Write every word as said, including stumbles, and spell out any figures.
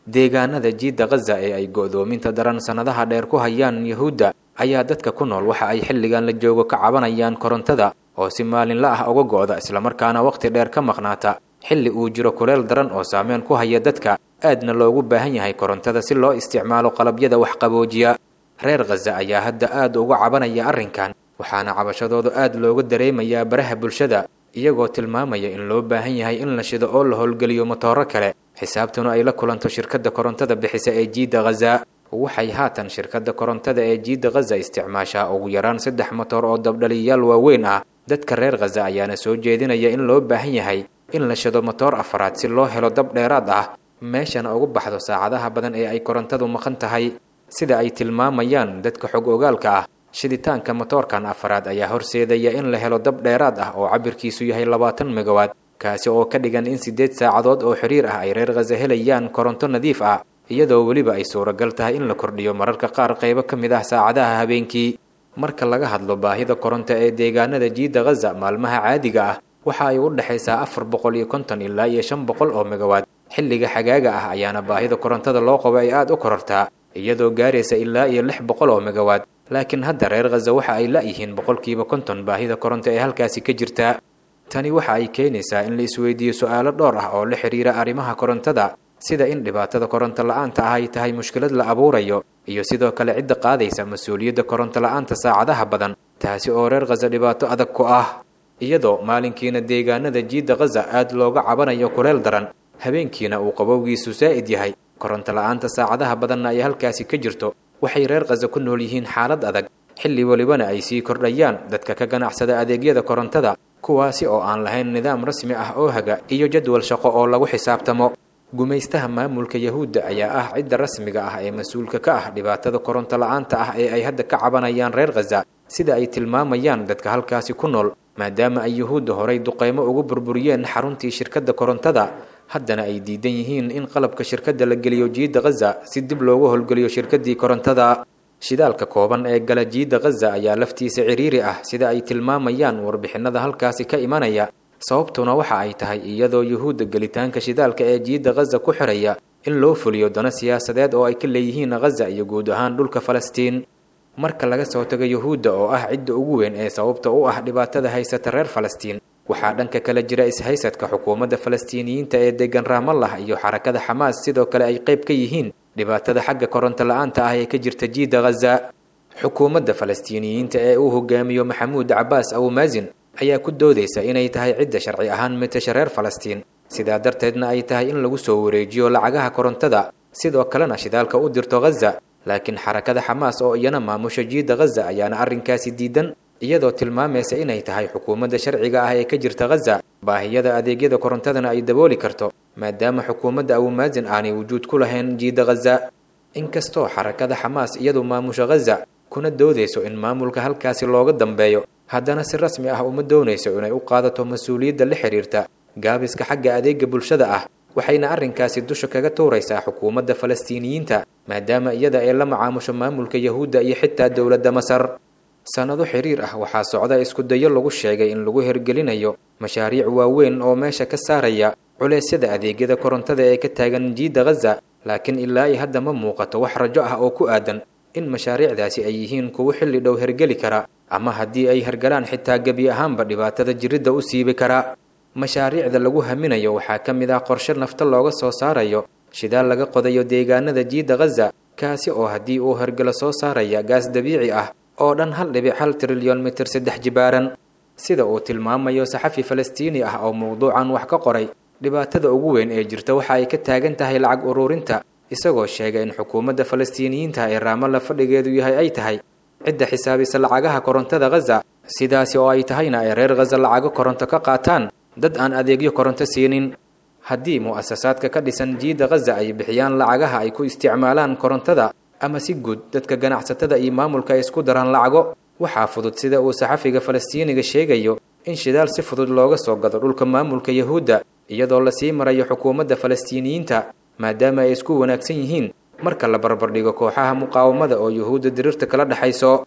Deegaanada jiidda Khaza ee ay go'doominta daran sannadaha dheer ku hayaan Yuhuudda ayaa dadka ku nool waxa ay xilligan la joogo ka cabanayaan korontada oo si maalinla ah uga go'da, islamarkaana waqti dheer ka maqnaata, xilli uu jiro kuleel daran oo saameyn ku haya dadka, aadna loogu baahan yahay korontada si loo isticmaalo qalabyada waxqaboojiya. Reer Khaza ayaa hadda aad uga cabanaya arrinkan, waxaana cabashadooda aad looga dareemayaa baraha bulshada, iyagoo tilmaamaya in loo baahan yahay in la shido oo la howlgeliyo matooro kale, xisaabtuna ay la kulanto shirkadda korontada bixisa ee jiidda Khaza. Waxay haatan shirkadda korontada ee jiidda Khaza isticmaashaa ugu yaraan saddex matoor oo dabdhaliyayaal waaweyn ah. Dadka reer Khaza ayaana soo jeedinaya in loo baahan yahay in la shido matoor afaraad si loo helo dab dheeraad ah, meeshana ugu baxdo saacadaha badan ee ay korontadu maqan tahay. Sida ay tilmaamayaan dadka xog ogaalka ah, shiditaanka matoorkan afaraad ayaa horseedaya in la helo dab dheeraad ah oo cabirkiisu yahay labaatan megawaad, kaasi oo ka dhigan in siddeed saacadood oo xiriir ah ay reer Khaza helayaan koronto nadiif ah, iyadoo weliba ay suuragal tahay in la kordhiyo mararka qaar qaybo ka mid ah saacadaha habeenkii. Marka laga hadlo baahida koronto ee deegaanada jiidda Khaza maalmaha caadiga ah, waxa ay u dhexaysaa afar boqol iyo konton ilaa iyo shan boqol oo megawaad. Xilliga xagaaga ah ayaana baahida korontada loo qabo ay aada u korortaa, iyadoo gaaraysa ilaa iyo lix boqol oo megawaad. Laakiin hadda reer Khaza waxa ay la'yihiin boqolkiiba konton baahida koronto ee halkaasi ka jirta. Tani waxa ay keenaysaa in la isweydiiyo su'aalo dhowr ah oo la xiriira arrimaha korontada, sida in dhibaatada koronto la'aanta ah ay tahay mushkilad la abuurayo, iyo sidoo kale cidda qaadaysa mas-uuliyadda koronto la'aanta saacadaha badan, taasi oo reer Khaza dhibaato adag ku ah. Iyadoo maalinkiina deegaanada jiidda Khaza aad looga cabanayo kuleel daran, habeenkiina uu qabowgiisu saa'id yahay, koronto la'aanta saacadaha badanna ay halkaasi ka jirto, waxay reer Khaza ku nool yihiin xaalad adag, xilli welibana ay sii kordhayaan dadka ka ganacsada adeegyada korontada, kuwaasi oo aan lahayn nidaam rasmi ah oo haga iyo jadwal shaqo oo lagu xisaabtamo. Gumaystaha maamulka Yahuudda ayaa ah cidda rasmiga ah ee mas-uulka ka ah dhibaatada koronto la'aanta ah ee ay hadda ka cabanayaan reer Khaza, sida ay tilmaamayaan dadka halkaasi ku nool, maadaama ay Yuhuudda horay duqeymo ugu burburiyeen xaruntii shirkadda korontada, haddana ay diidan yihiin in qalabka shirkadda la geliyo jiidda Khaza si dib loogu howlgeliyo shirkaddii korontada. Shidaalka kooban ee gala jiidda Khaza ayaa laftiisa ciriiri ah, sida ay tilmaamayaan warbixinada halkaasi ka imanaya. Sababtuna waxa ay tahay iyadoo Yuhuudda gelitaanka shidaalka ee jiidda Khaza ku xiraya in loo fuliyo dano siyaasadeed oo ay ka leeyihiin Khaza iyo guud ahaan dhulka Falastiin. Marka laga soo tago Yuhuudda oo ah cidda ugu weyn ee sababta u ah dhibaatada haysata reer Falastiin, waxaa dhanka kale jira ishaysadka xukuumadda Falastiiniyiinta ee degan Raamallah iyo xarakada Xamaas, sidoo kale ay qayb ka yihiin dhibaatada xagga koronto la'aanta ah ee ka jirta jiidda Khaza. Xukuumadda Falastiiniyiinta ee uu hogaamiyo Maxamuud Cabaas Abumaazin ayaa ku doodaysa inay tahay cidda sharci ahaan matasha reer Falastiin, sidaa darteedna ay tahay in lagu soo wareejiyo lacagaha korontada, sidoo kalena shidaalka u dirto Khaza. Laakiin xarakada Xamaas oo iyana maamusha jiidda Khaza ayaana arrinkaasi diidan, iyadoo tilmaamaysa inay tahay xukuumadda sharciga ah ee ka jirta Khaza, baahiyada adeegyada korontadana ay dabooli karto, maadaama xukuumadda Abumaazin aanay wujuud ku lahayn jiidda Khaza. Inkastoo xarakada Xamaas iyadu maamusha Khaza kuna doodayso in maamulka halkaasi looga dambeeyo, haddana si rasmi ah uma doonayso inay u qaadato mas-uuliyadda la xiriirta gaabiska xagga adeega bulshada ah, waxayna arrinkaasi dusha kaga tuuraysaa xukuumadda Falastiiniyiinta, maadaama iyada ay la macaamusho maamulka Yahuudda iyo xitaa dowladda Masar. Sannado xiriir ah waxaa socda isku dayo lagu sheegay in lagu hirgelinayo mashaariic waaweyn oo meesha ka saaraya culeysyada adeegyada korontada ee ka taagan jiidda Khaza, laakiin ilaa iyo hadda ma muuqato wax rajo ah oo ku aadan in mashaariicdaasi ay yihiin kuwo xilli dhow hergeli kara, ama haddii ay hergalaan xitaa gebi ahaanba dhibaatada jiridda u siibi kara. Mashaariicda lagu haminayo waxaa ka mid ah qorshe nafta looga soo saarayo shidaal laga qodayo deegaanada jiidda Khaza, kaasi oo haddii uu hergelo soo saaraya gaas dabiici ah oo dhan hal dhibic hal trilyon mitir saddex jibaaran. Sida uu tilmaamayo saxafi Falastiini ah oo mowduucan wax ka qoray, dhibaatada ugu weyn ee jirta waxa ay ka taagan tahay lacag ururinta, isagoo sheegay in xukuumadda Falastiiniyiinta ee Raamalla fadhigeedu yahay ay tahay cidda xisaabisa lacagaha korontada Khaza, sidaasi oo ay tahayna ay reer Khaza lacago koronto ka qaataan dad aan adeegyo koronto siinin. Haddii mu'asasaadka ka dhisan jiidda Khaza ay bixiyaan lacagaha ay ku isticmaalaan korontada, ama si guud dadka ganacsatada iyo maamulka ay isku daraan lacago, waxaa fudud, sida uu saxafiga Falastiiniga sheegayo, in shidaal si fudud looga soo gado dhulka maamulka Yahuudda, iyadoo lasii marayo xukuumadda Falastiiniyiinta, maadaama ay isku wanaagsan yihiin marka la barbardhigo kooxaha muqaawamada oo Yuhuudda diriirta kala dhexayso.